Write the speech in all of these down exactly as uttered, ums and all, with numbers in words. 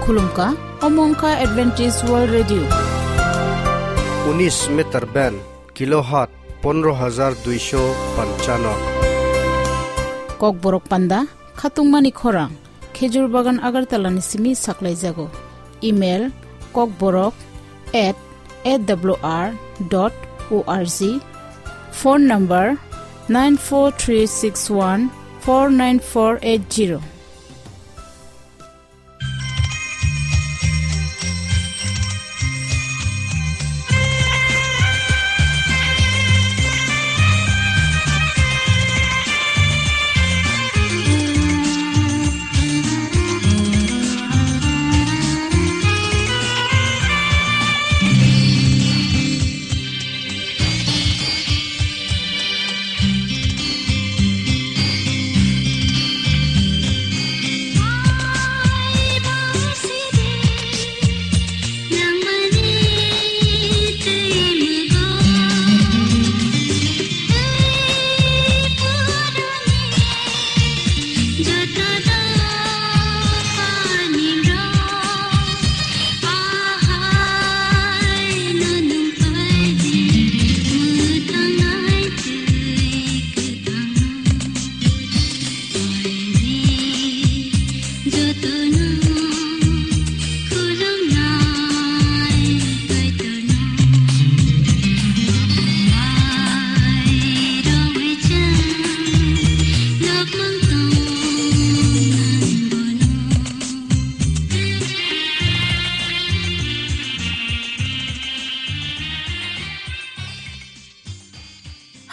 Khulumkha, omo wngkha Adventist World Radio. Unis meter band, kilohertz pondro hajar duisho panchano. Kokborok panda, khatungmani khorang, Khejur Bagan Agartala ni simi saklaijago. Email, kokborok at A W R dot O R G. Phone number, nine four three six one four nine four eight zero.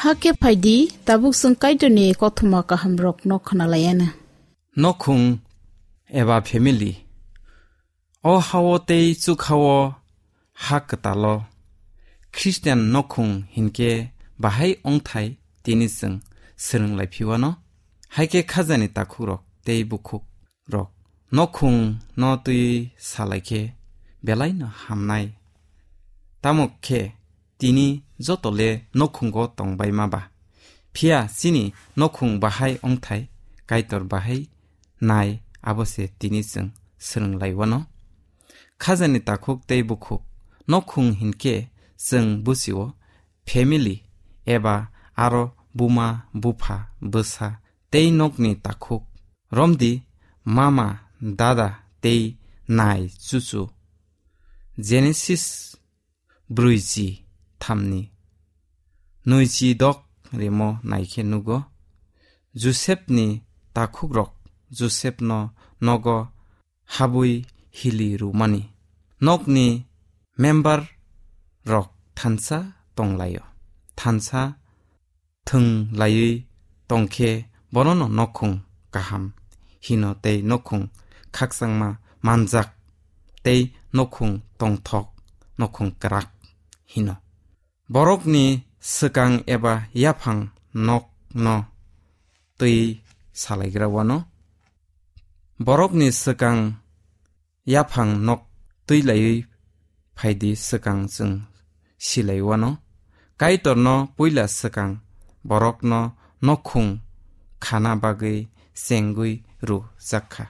Hakhe phaidi, tabuk chwng Kaitorni kothoma kahamrokno khwnalaiana. Nokhung eba family. O hao tei chukhao ha kwtalo Christian nokhung hinkhe bahai ongthai tini chwng swrwng laiphiwano. Haikhe khajani takhukrok tei bukhukrok nokhung no twi salaikhe belaino hamnai. Tamo khe tini joto le nokhungo tongbai ma ba. Phiya chini nokhung bahai ongthai Kaitor bahai nai abo se tini chwng swrwng laiwano. Khajani takhuk tei bukhuk nokhung hinkhe chwng buchio family eba aro buma, bupha, bwsa tei nokni takhuk romdi mama, dada tei nai chuchu. Genesis brwi chi thamni nwi chi dok rimo naikhe nugo. Josepni takhukrok Josepno nogo habwi hili rwmani. Nokni member rok thansa tonglaio. Thansa thwng laiwi tongkhe bonono nokhung kaham hino tei nokhung khakchangma manjak tei nokhung tongthok, nokhung kwrak hino. Borokni swkang eba yaphang nokno twi salaigra wano. Borokni swkang yaphang nok twi laiwi phaidi swkang chwng silai wano. Kaitorno puila swkang borokno nokhung khana bagwi chengwi rwjakha.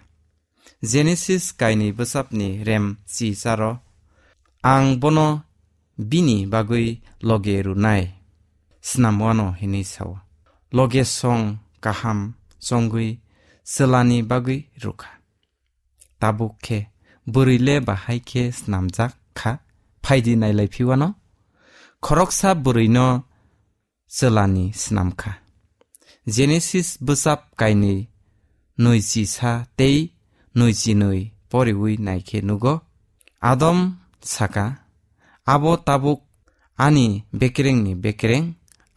Genesis kainwi bwsapni rem chicharo, "Ang bono bini bagwi loge rwnai, snam wano," hinwi sao. Loge song kaham chongwi chwlani bagwi rwkha. Tabuk khe bwrwi le bahai khe snamjak kha, phaidi nailai phiwano. Khoroksa bwrwino chwlani snam kha. Genesis bwsap kainwi nwi chi sa tei nwi chi nwi poriwi naikhe nugo. Adam saka, "Abo tabuk ani bekerengni bekereng,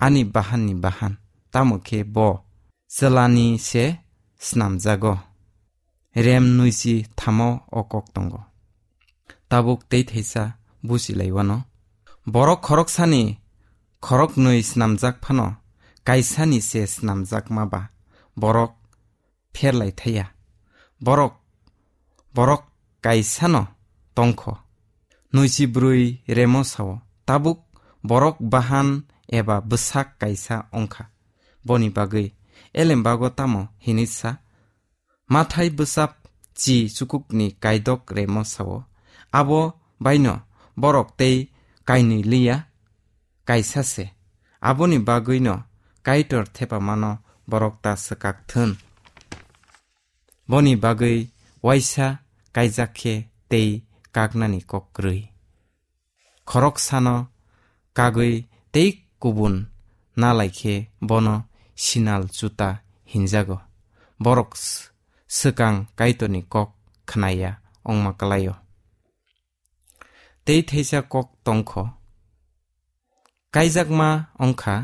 ani bahanni bahan, tamo khe bo chwlani se snamjago." Rem nwi chi thamo o kok tongo. Tabuk tei thaisa buchilai wano. Borok khoroksani khoroknwi snamjak phano kaisani se snamjakma ba borok pherlai thaya. Borok, borok kaisano tongkho. Nwi chi brwi remo sao, tabuk borok bahan eba bwsak kaisa ongkha. Boni bagwi elembago tamo hinwi sa, Mathai bwsap chi chukukni kaidok remo sao. Abo baino borok tei kainwi liya, kaisa se. Aboni bagwino Kaitor thepamano borok ta swkak thun. Boni bagwi waisa kaijak khe tei kaknani kok kwrwi. Khoroksano kagwi tei kubun nalai khe bono sinal chuta hinjago. Borok s-, swkang Kaitorni kok khnaya wngma kwlaio. Tei theisa kok tongkho. Kaijakma wngkha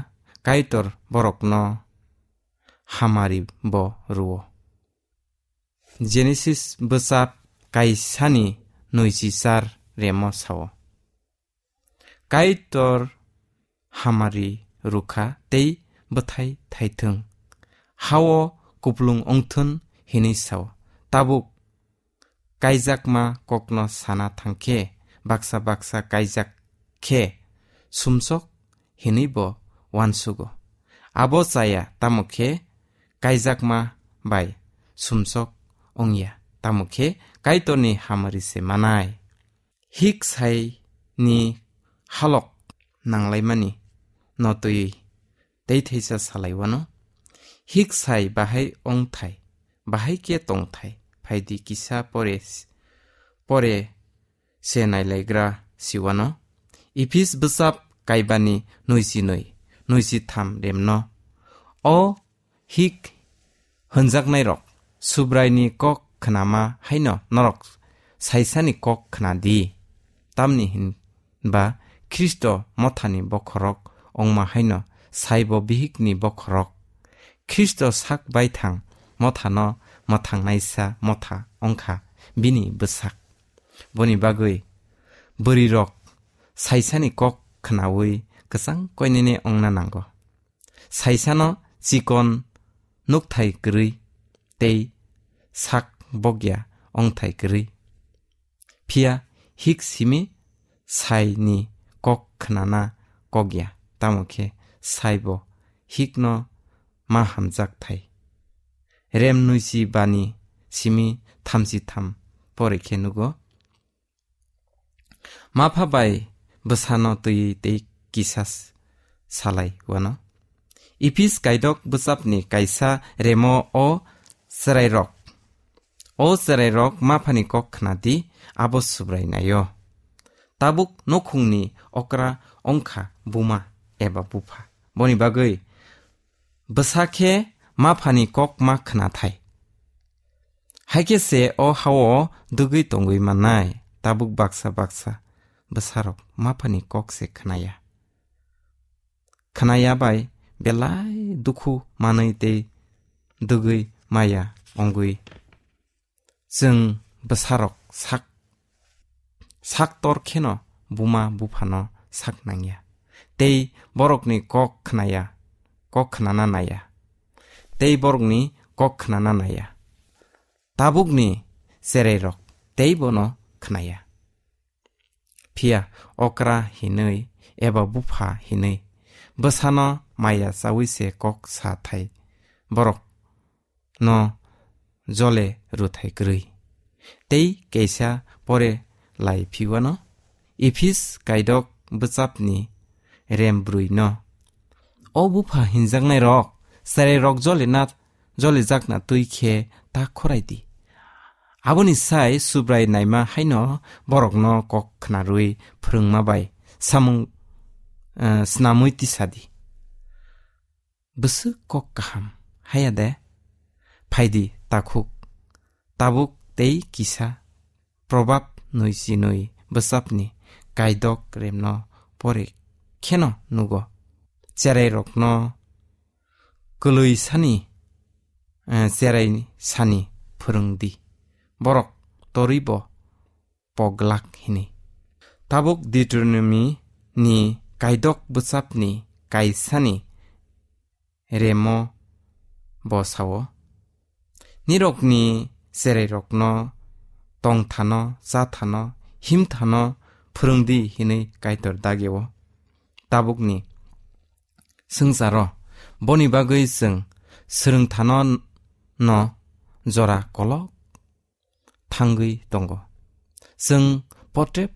Kaitor borokno hamari bo rwo. Genesis bwchap kaisani nwichichar remo sao. Kaitor hamari rukha tei bwthai thaithwng, hao kuplung wngthun hinwi sao. Tabuk kaijakma kokno sana thangkhe baksa baksa kaijak khe sumsok hinwi bo uansugo. Abo chaya tamo khe kaijakma bai sumsok wngya, tamo khe Kaitorni hamari se manai. Hik sai ni halok nanglaimani no twi tei theisa salai wano. Hik sai bahai ongthai, bahai khe tongthai, phaidi kisa pore, pore se nailaigra siwano. Ephis bwsap kaibani nwichi nwi, nwichi tham remno. O hik hwnjaknairok, Subraini kok khnama haino norok saisani kok khna di. Tamni hinba Khristo mothani bokhorok ongma haino saibo bihikni bokhorok. Khristo sak baithang mothano mwthangnaisa motha wngkha bini bwsak. Boni bagwi bwrwirok saisani kok khnaui kwchang koinene wngna nango. Saisano chikon nukthai kwrwi tei sak bokya wngthai kwrwi. Phiya hik simi saini kok khnana kokya, tamo khe saibo hikno ma hamjak thai. Rem nwichi bani simi thamchi tham pore khe nugo. Mapha bai bwsano twi tei kisa s-, salai wano. Ephis kaidok bwchapni kaisa remo o chwrairok. O chwrairok maphani kok khna di, abo Subrai naio. Tabuk nokhungni okra wngkha buma eba bupha. Boni bagwi bwsa khe maphani kok ma khna thai. Hai khe se o hao dugwi tongwi mannai, tabuk baksa baksa bwsarok maphani kok se khnaya. Khnaya bai belai dukhu manwi tei dugwi maya wngwi. Chwng bwsarok sak, sak tor kheno buma buphano sak nangya. Tei borokni kok khnaya, kok khnana naya. Tei borokni kok khnana naya. Tabukni cherairok tei bono khnaya. Phiya okra hinwi eba bupha hinwi bwsano maya chawi se kok sa thai borok no jole rwthai kwrwi. Tei kaisa pore lai phiwano Ephis kaidok bwchapni rem brwi no. O bupha hinjaknai rok, cherairok jole na, jole jakna twi khe ta khorai di. Aboni sai Subrai naima haino borokno kok khnarwi phwrwngma bai samung, eh, snamwi tisa di. Bwswk kok kaham, haya de? Phaidi takhuk, tabuk tei kisa probab nwi chinwi bwchapni kaidok remno pore kheno nugo. Cherairokno kwlwi sani, eh, cherai sani phwrwng di. Borok torwi bo poglak hini. Tabuk Deuteronomy ni kaidok bwchapni kaisani remo bo sao, "Nirokni cherairokno tongthano, chathano, himthano phwrwng di," hinwi Kaitor dagio. Tabukni swngcharo boni bagwi chwng swrwngthano no jora kolok thangwi tongo. Chwng potrep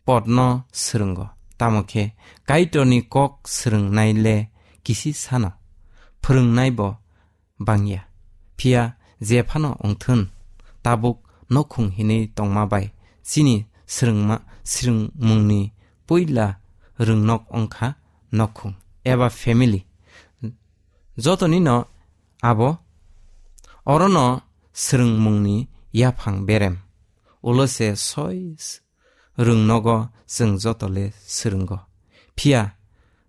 potno swrwngo, tamo khe Kaitorni kok swrwngnai le kisi sano, phwrwngnai bo bangya. Phiya jephano wngthun, tabuk nokhung hinwi tongma bai chini swrwngma, swrwngmungni puila rwngnok wngkha nokhung eba family. Jotonino abo orono swrwngmungni yaphang berem. Ulo se soi s-, rwngnogo chwng joto le swrwngo. Phiya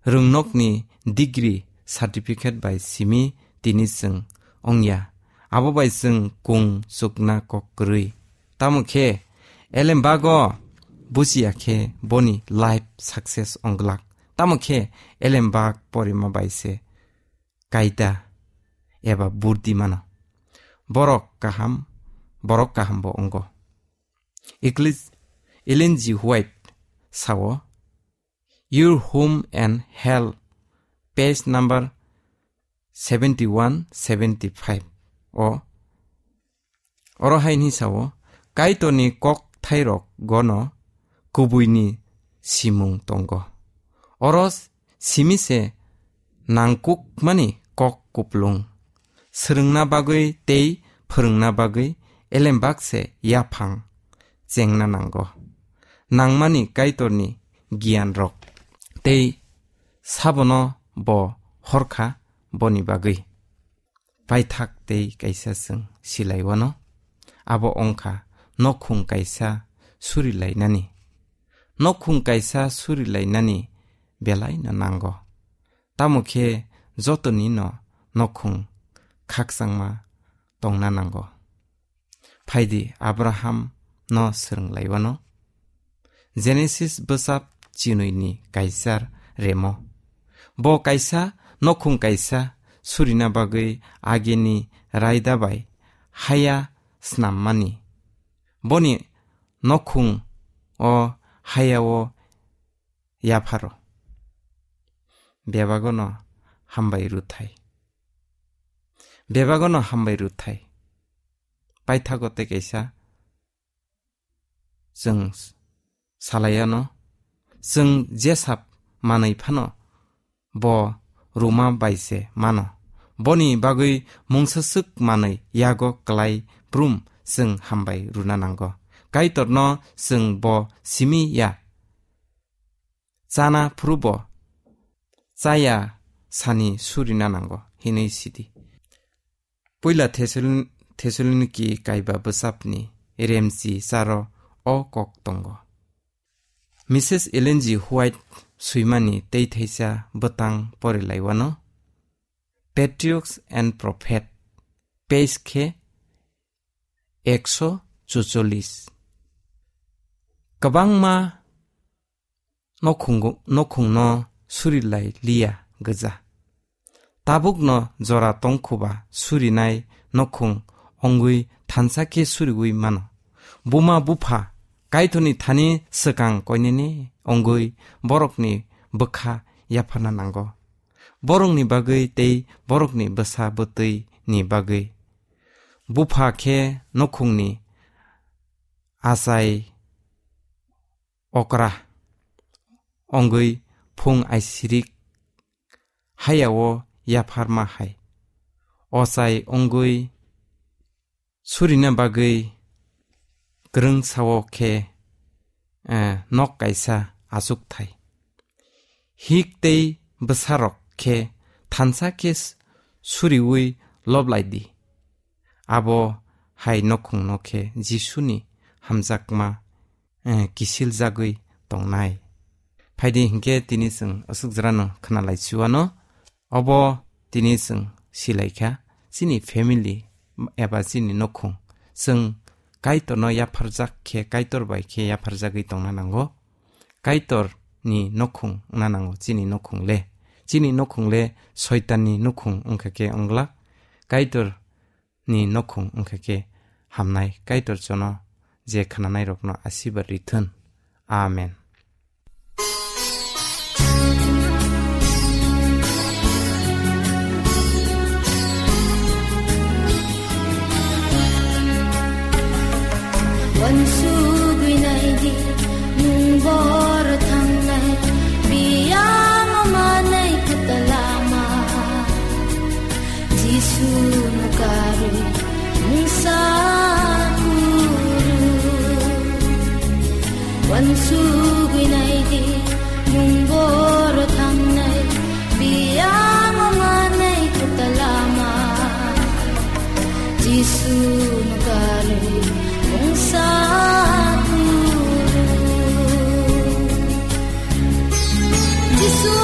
rwngnokni degree certificate bai simi tini chwng wngya. Abo bai chwng kung chukna kok kwrwi. Tamo khe elembago buchiya khe boni life success wng glak. Tamo khe elembak porima bai se kaida eba burdi mano. Borok kaham, borok kaham bo wnggo. Eclis-, Ellen G. White sao, "Your Home and Hell," page number seventy-one, seventy-five o. Oro hai hwnwi sao, Kaitorni kok thairok gono kubuini simung tongo. Oro simi se nangkukmani kok kuplung. Swrwngna bagwi tei phwrwngna bagwi elembak se yaphang chengna nango. Nangmani Kaitorni giyanrok tei sabono bo horkha boni bagwi. Paithak tei kaisa chwng silai wano. Abo wngkha nokhung kaisa surilainani. Nokhung kaisa surilainani belaino nango. Tamo khe jotonino nokhung khakchangma tongna nango. Phaidi Abraham no swrwng laiwano. Genesis bwsap chinwi ni kaisar remo. Bo kaisa nokhung kaisa surina bagwi agini raida bai haya snammani. Boni nokhung o haya o yapharo. Bebagono hambai rwthai. Bebagono hambai rwthai. Paithago tei kaisa chwng salaiano, chwng jesap manwi phano bo ruma bai se mano. Boni bagwi mungsaswk manwi yago klai brum chwng hambai rwna nango. Kaitorno chwng bo simi ya. Chana phuru bo chaya sani surina nango hinwi sidi. Puila Thesalon-, Thesaloniki kaiba bwsapni remchi charo o kok tongo. Missus Ellen G. White swimani tei thaisa bwtang porilaiwano, Patriarchs and Prophet, page khe ekso chuchollis. Kwbangma nokhungo-, nokhungno surilai liya gwja. Tabukno jora tongkhuba surinai nokhung ongwi thansa khe suriwi mano. Buma bupha Kaitorni thani swkang koinene ongwi borokni bwkha yapharna nango. Borokni bagwi tei borokni bwsa bwtwi ni bagwi. Bupha khe nokhungni achai okra ongwi phung aisirik hayao yapharma hai. Ochai ongwi surina bagwi kwrwng sao khe, eh, nok kaisa achukthai. Hik tei bwsarok khe thansa khe s-, suriwi loblai di. Abo hai nokhungno khe Jisuni hamjakma, eh, kisiljagwi tongnai. Phaidi hinkhe tini chwng aswk jora no khna lai chuwano. Obo tini chwng silai kha, chini family eba chini nokhung. Chwng Kaitorno yapharjak khe, Kaitor bai khe yapharjagwi tongna nango. Kaitorni nokhung wngna nango chini nokhung le. Chini nokhung le Soitanni nokhung wngkha khe wngla. Kaitor ni nokhung wngkha khe hamnai. Kaitor jono je khnanairokno asirbad rithun. Amen. Wansugwi naidi, nwng boro thangnai, biyang manai kwtal lama. Jisu no karwi, nwng sa kuru. Wansugwi naidi, nwng boro thangnai, biyang manai kwtal lama. Jisu no karwi, nwng sa kuru. Jisu o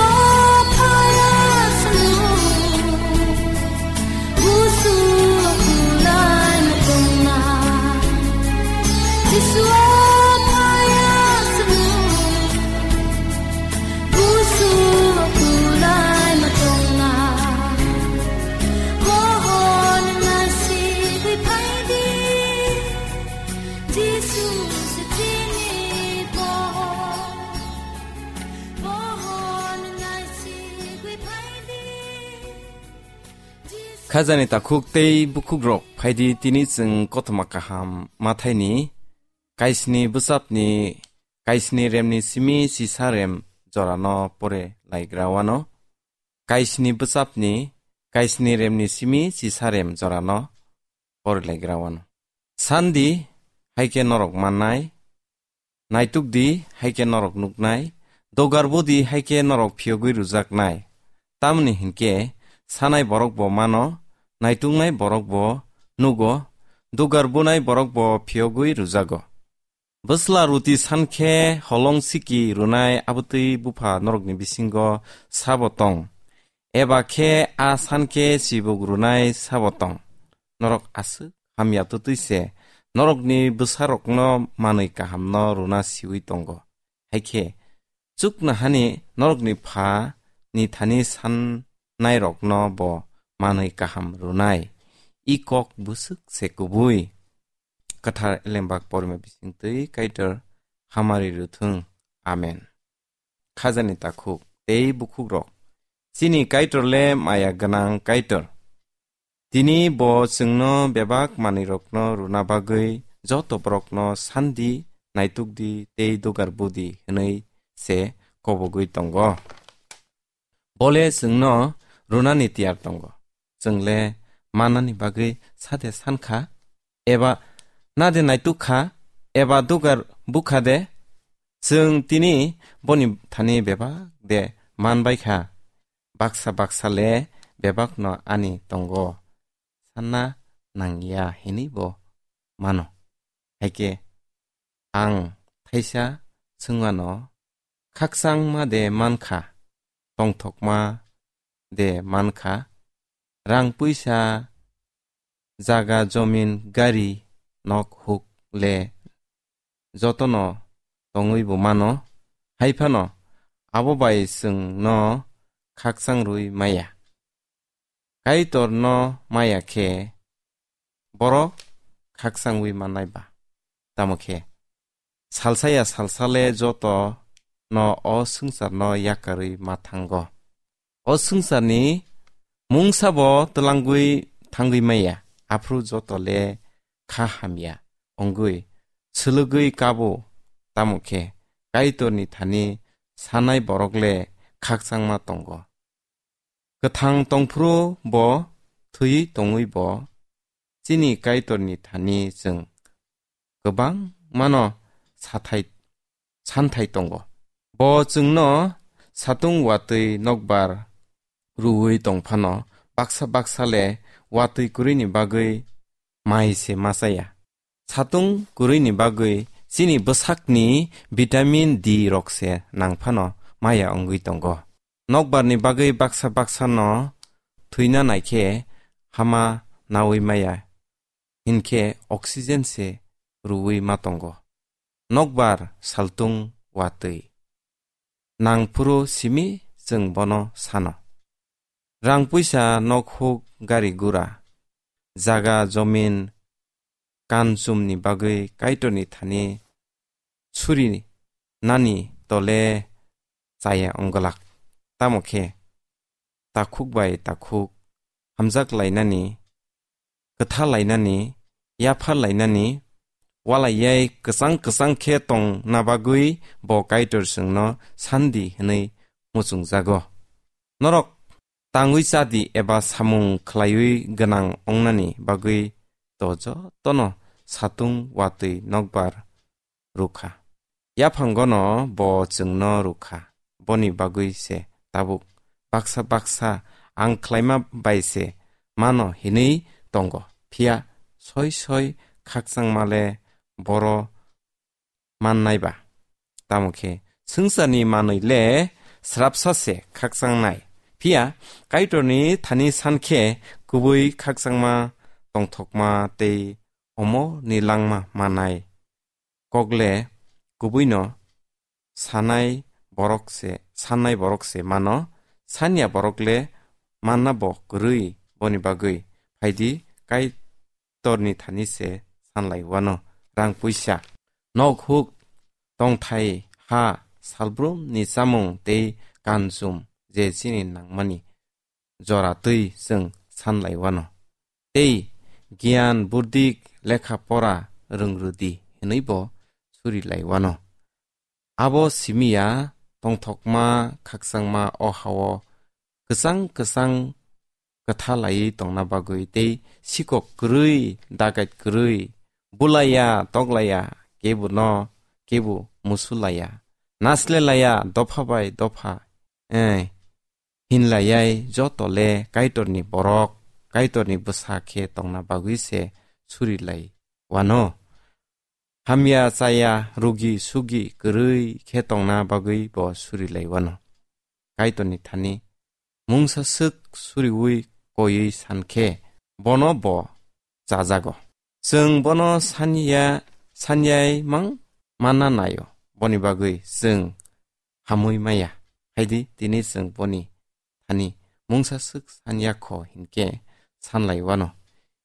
phaya sanu. Busu kulai matongna. Jisu o phaya sanu. Busu kulai matongna. Mohon nasi di phaidi. Jisu sitini pohon. Mohon nasi di phaidi. Khajani takhuk tei bukhukrok phaidi tini chwng kothoma kaham mathaini kaisni bwsapni kaisni remni simi sisa rem jorano pore laigra wano. Kaisni bwsapni kaisni remni simi sisa rem jorano pore laigra wano. Sandi haikhe norok mannai, naitukdi haikhe norok nuknai, dogar budi haikhe norok phiyogwi rwjaknai. Tamni hinkhe sanai borok bo mano, naituknai borok bo nugo, dogar bunai borok bo phiyogwi rwjago. Bwsla ruti sankhe holong siki rwnai abwtwi bupha norokni bisingo sabo tong? Eba khe a sankhe chibuk rwnai sabo tong? Norok aswk hamya twtwi se norokni bwsarokno manwi kahamno rwna siwi tongo. Haikhe chuknohani norokni pha ni thani sannairokno bo manwi kaham rwnai. I kok bwswk se kubui. Kwthar Elembak porima bisingtwi Kaitor hamari rwthwng. Amen. Khajani takhuk tei bukhukrok. Chini Kaitor le maya gwnang Kaitor. Tini bo chwngno bebak manwirokno rwna bagwi joto borokno sandi, naitukdi tei dugar budi hwnwi se kobogwi tongo. Bole chwngno rwnani tiyar tongo. Chwngle manani bagwi sade sankha, eba nade naitukha, eba dugar bukha de? Chwng tini boni thani bebak de manbaikha? Baksa baksa le bebakno ani tongo, sanna nangya hinwi bo mano. Haikhe ang thaisa swngmano, khakchangma de mankha, tongthokma de mankha, rang puisa, jaga, jomin, gari, nok, huk le jotono tongwi bo mano. Haiphano abo bai chwngno khakchang rwi maya. Kaitorno maya khe borok khakchangwi mannai ba? Tamo khe salsa ya salsa le joto no o swngcharno yakarwi ma thango. O swngcharni mungsabo twlangwi thangwi maya, aphuru joto le kha hamya wngwi swlwgwi kabo. Tamo khe Kaitorni thani sanai borok le khakchangma tongo. Kwthang tongphuru bo, thwiwi tongwi bo, chini Kaitorni thani chwng kwbangmano sathai, santhai tongo. Bo chwngno satung watwi nokbar rwui tongphano, baksa baksa le watwi kwrwini bagwi mai se ma chaya. Satung kwrwini bagwi chini bwsakni vitamin D rok se nangphano maya wngwi tongo. Nokbarni bagwi baksa baksano thwina naikhe hama naui maya, hinkhe oxygen se rwui ma tongo. Nokbar saltung watwi nangphuru simi chwng bono sano. Rang puisa, nok huk, gari gura, jaga jomin, kanchumni bagwi Kaitorni thani suri nani tole chaya wngwlak. Tamo khe takhuk bai takhuk hamjak lainani, kwtha lainani, yaphar lainani, walaiyai kwchang kwchang khe tongna bagwi bo Kaitor chwngno sandi hwnwi muchungjago. Norok tangwi chadi eba samung khlaiwi gwnang wngnani bagwi to jotono satung watwi nokbar rwkha. Yaphangono bo chwngno rwkha, boni bagwi se tabuk baksa baksa ang khlaima bai se mano hinwi tongo, phiya soi soi khakchangma le boro mannai ba. Tamo khe swngcharni manwi le srapsa se khakchangnai, phiya Kaitorni thani san khe kubui khakchangma, tongthokma tei omo ni langma manai. Kokle kubuino sanai borok se, sannai borok se mano, sanya borok le manna bo kwrwi, boni bagwi phaidi Kaitorni thani se sanlai wano. Rang puisa, nok huk, tongthai, ha, salbrumni chamung tei kanchum je chini nangmani jora twi chwng sanlai wano. Tei giyan burdik lekha pora rwngrwdi hwnwi bo surilai wano. Abo simiya tongthokma khakchangma o hao kwchang kwchang kwtha laiwi tongna bagwi tei sikok kwrwi, dagait kwrwi, bulaiya, toklaiya, kebo no kebo musulaiya, naslelaiya, dopha bai dopha, eh, hinlayai joto le Kaitorni borok, Kaitorni bwsa khe tongna bagwi se surilai wano. Hamya chaya, rugi sugi kwrwi khe tongna bagwi bo surilai wano. Kaitorni thani mungsa swk suriwi koiwi san khe bono bo chajago. Chwng bono sanya, sanyai mang manna naio, boni bagwi chwng hamwi maya. Haidi tini chwng boni thani mungsa swk sanya kho hinkhe sanlai wano.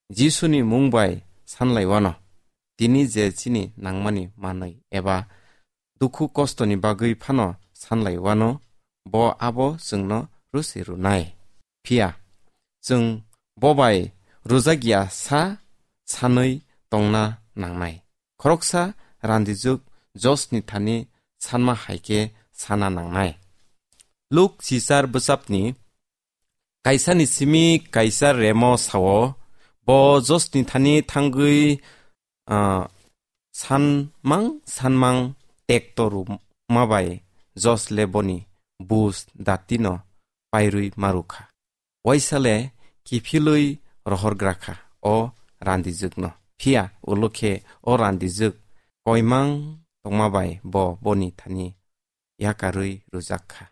Jisuni mung bai sanlai wano. Tini je chini nangmani manwi eba dukhu kostoni bagwi phano sanlai wano, bo abo chwngno rwse rwnai. Phiya chwng bo bai rwjakya sa sanwi tongna nangnai. Khoroksa randijwk Josni thani sanma hai khe sana nangnai. Luk chichar bwchapni kaisani simi kaisa remo sao, bo Josni thani thangwi, ah, sanmang sanmang tekto rwma bai Jos le boni bus datino pairwi marwkha. Waisa le kiphilwi rohorgrakha o randijwkno. Phiya ulo khe o randijwk koimang tongma bai bo boni thani yakarwi rwjak kha.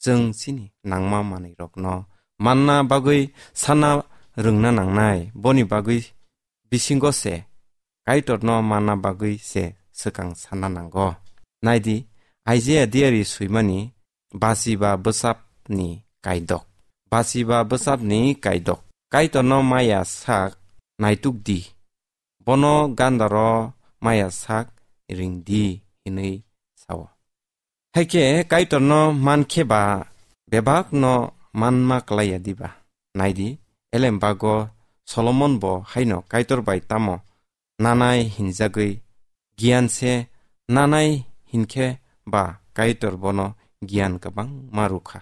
Chwng chini nangma manwirokno manna bagwi sana rwngna nangnai, boni bagwi bisingo se Kaitorno manna bagwi se swkang sana nango. Naidi, Isaiah diari swimani bachiba bwchapni kaidok. Bachiba bwchapni kaidok. Kaitorno maya sak naituk di. Bono gandaro maya sak ring di hinwi sao. Haikhe Kaitorno mankhe ba bebakno manma klaiya diba? Naidi, elembago Solomon bo haino Kaitor bai tamo nanai hinjagwi giyan se nanai hinkhe ba Kaitor bono giyan kwbangma rwkha.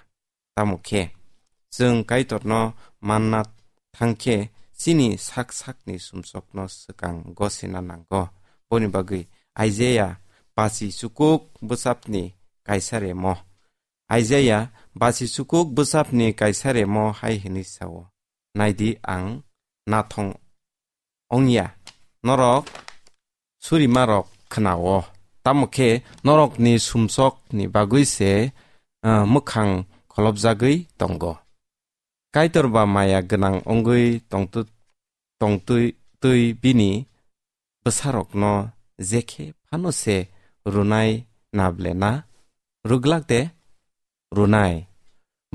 Tamo khe, chwng Kaitorno manna thangkhe chini sak sakni sumsokno swkang gosina nango. Boni bagwi Isaiah bachi chukuk bwchapni kaisa remo. Isaiah bachi chukuk bwchapni kaisa remo hai hwnwi sao, "Naidi, ang nathong ongya, norok surimarok khnao, tamo khe norokni sumsokni bagwi se, ah, mwkhang kholopjagwi tongo." Kaitor ba maya gwnang wngwi tongtu-, tongtwi twi bini bwsarokno jekhe phano se rwnai na ble na? Rwglak de? Rwnai.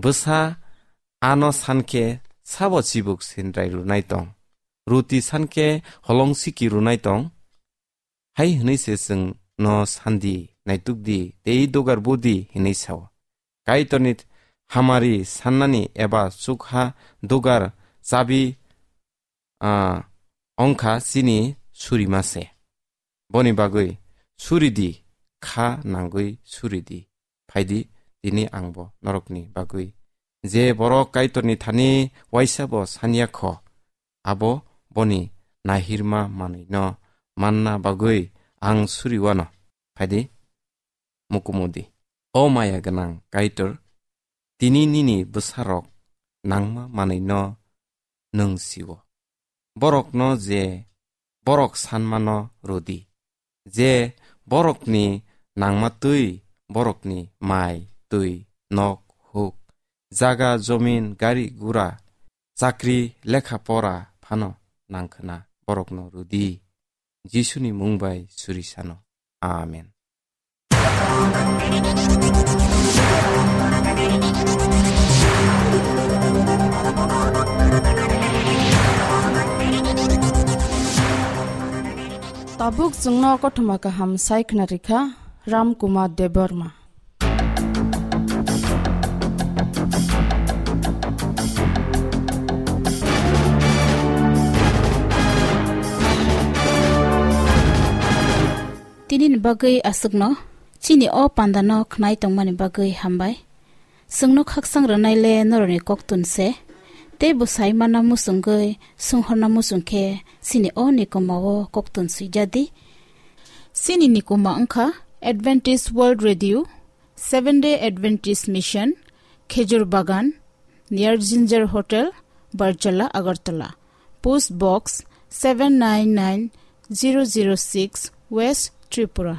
Bwsa ano sankhe sabo chibuk sindrai rwnai tong? Ruti sankhe holong siki rwnai tong? Hai hwnwi se chwngno sandi, naituk di, tei dugar budi hwnwi sao. Kaitorni hamari sannani eba chukha dugar chabi, ah, ongkha chini surima se. Boni bagwi suri di, kha nangwi suri di. Phai di, tini ang bo norokni bagwi. Je borok Kaitorni thani waisa bo sanya kho, abo boni nahirma manwino manna bagwi ang suri wano. Phai di, mukumu di. O maya gwnang Kaitor, tini nini bwsarok nangma manwino nwng sio. Borokno je borok sanmano rwdi. Je borokni nangma twi, borokni mai, twi, nok, huk, jaga, jomin, gari, gura, chakri, lekha pora phano nangkhwna borokno rwdi. Jisuni mung bai suri sano. Amen. Tabuk chwngno kothoma kaham sai khna rikha Ram Kumar Debbarma. Tini ni bagwi aswkno, chini o panda no khnai tongmani bagwi hambai. Chwngno khaksang rwnai le norokni koktun se, tei bwsai mana muchungwi sunghorna muchung khe chini o nikoma o koktun swijadi. Chini nikoma wngkha Adventist World Radio, Seventh Day Adventist Mission, Khejur Bagan, near Ginger Hotel, Barjala, Agartala. Post Box seven nine nine zero zero six, West Tripura.